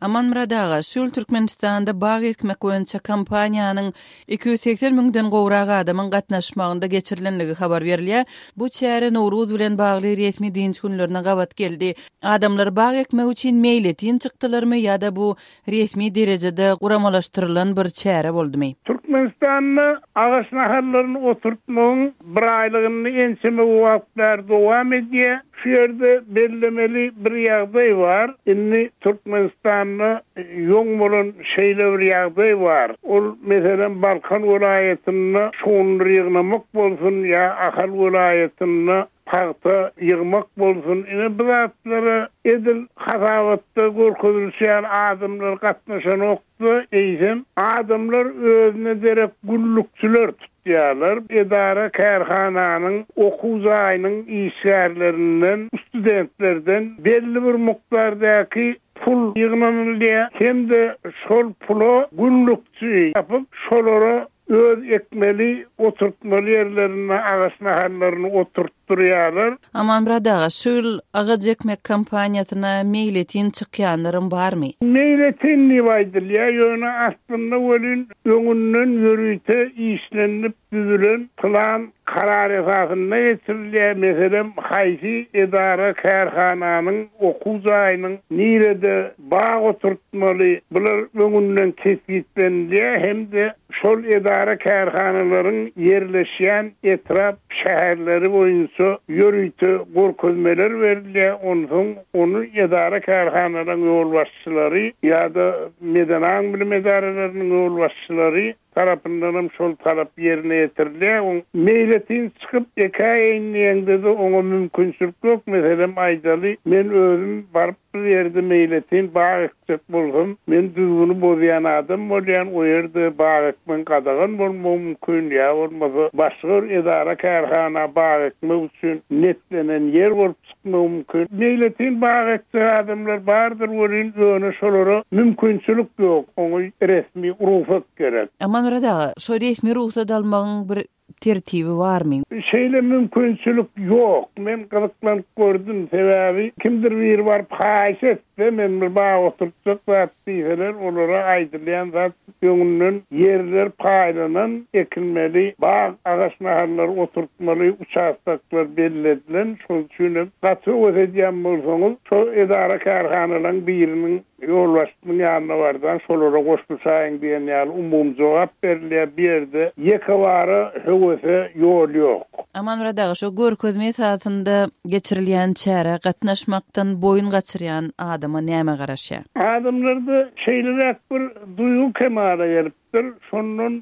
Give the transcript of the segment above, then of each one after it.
Amanmyrat aga, şu ýyl Türkmenistanda bag ekmek boýunça kampaniýanyň 280 müňden gowrak adamyň gatnaşmagynda geçirilendigi habar berilýär. Bu çäre Nowruz bilen bagly resmi dynç günlerine gabat geldi. Adamlar bag ekmek üçin meýletin çykdylarmy ýa-da bu resmi derejede guramalaşdyrylan bir çäre boldumy? Türkmenistanda agaç nahallaryny oturtmagyň biraýlygyny ençeme wagt bäri dowam edýär. Şu ýerde bellemeli bir ýagdaý bar. Indi Türkmenistanda ýoň bolan şeýle bir ýagdaý bar. Ol, meselem, Balkan welaýatynda şugundyr ýygnamak bolsun ýa Ahal welaýatynda pagta ýygmak bolsun, ine bu zatlara edil hasabatda görkezilişi ýaly adamlar gatnaşanok-da, eýsem, adamlar özüne derek gullukçylar tutýarlar. Edara-kärhananyň, okuw jaýynyň işgärlerinden, studentlerden belli bir mukdardaky pul ýygnanylýar hem-de şol pula gullukçy tapyp, şolara Öz ekmeli, oturtmaly ýerlerinde agaç nahallaryny oturtdyrýarlar. Amanmyrat aga, şu ýyl agaç ekmek kampaniýasyna meýletin çykýanlaram barmy? Meýletin diýip aýdylýar, ýöne aslynda welin öňünden ýörite işlenilip düzülen plan, karar esasynda geçirilýär. Meselem, haýsy edara-kärhananyň, okuw jaýynyň nirede bag oturtmaly, bular öňünden kesgitlenilýär hem-de Şol edara-kärhanalaryň ýerleşýän etrap, şäherleri boýunça ýörite görkezmeler berilýär, onsoň ony edara-kärhanalaryň ýolbaşçylary ýa-da medeni aň-bilim edaralarynyň ýolbaşçylary tarapyndanam şol talap ýerine ýetirilýär. Oň meýletin çykyp ekäýeýin diýeňde-de oňa mümkinçilik ýok. Meselem, aýdaly, men özüm baryp Bir ýerde meýletin bag ekjek bolsam, men düzgüni bozýan adam bolýan, o ýerde bag ekmegiň gadagan bolmagy mümkin, ýa bolmasa başga bir edara-kärhana bag ekmek üçin netlenen ýer bolup çykmagy mümkin. Meýletin bag ekjek adamlar bardyr welin, ýöne şolara mümkinçilik ýok, oňa resmi rugsat gerek. Amanmyrat aga, şo resmi rugsat almagyň bir tertibi barmy? Şeýle mümkinçilik ýok. Men gyzyklanyp gördüm. Sebäbi kimdir biri baryp haýyş etse, men bir bag oturtjak zat diýseler, olara aýdylýan zat öňünden ýerler paýlanan, ekilmeli bag, agaç nahallary oturtmaly uçastoklar belli edilen. Şol üçin hem gaty höwes edýän bolsaňyz, şo edara-kärhanalaryň biriniň Ýolbaşçynyň ýanyna barsaň, şolara goşulyşaýyň diýen ýaly umumy jogap berilýär. Bu ýerde ýekebara höwese ýol ýok. Amanmyrat aga, şo görkezme esasynda geçirilýän çärä gatnaşmakdan boýun gaçyrýan adama näme garaşýar? Adamlarda şeýleräk bir duýgy kemala gelip Dur, şondan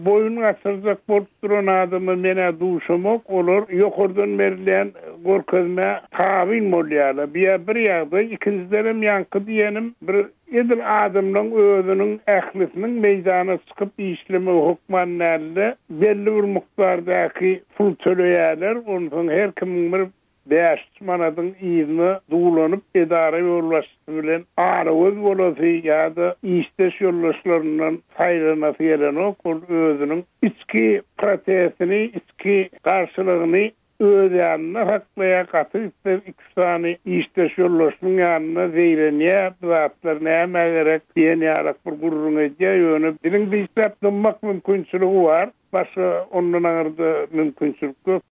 boýun gaçyrjak bolup duran adama men-ä duşamok, olar ýokardan berilýän görkezmä tabyn bolýarlar. Bu-ýa bir ýagdaý, ikinjidenem ýaňky diýenim bir edil adamlaň özüniň ählisiniň meýdana çykyp işlemegi hökman däl-de, belli bir mukdardaky pul töleýärler, onsoň her kimiň bir Bäşüç manadyň yzyna duwlanyp edara ýolbaşçysy bilen aragöz bolasy ýa-da işdeş ýoldaşlaryndan saýlanasy gelenok, ol özüniň içki protestini, içki garşylygyny öz ýanynda saklaýar, gaty gitse iküç sany işdeş ýoldaşynyň ýanynda zeýrenýär, bu zatlar nämä gerek diýen ýalak bir gürrüň edýär, ýöne diliň dişläp dymmak mümkinçiligi bar, başga ondan aňyrda mümkinçilik ýok.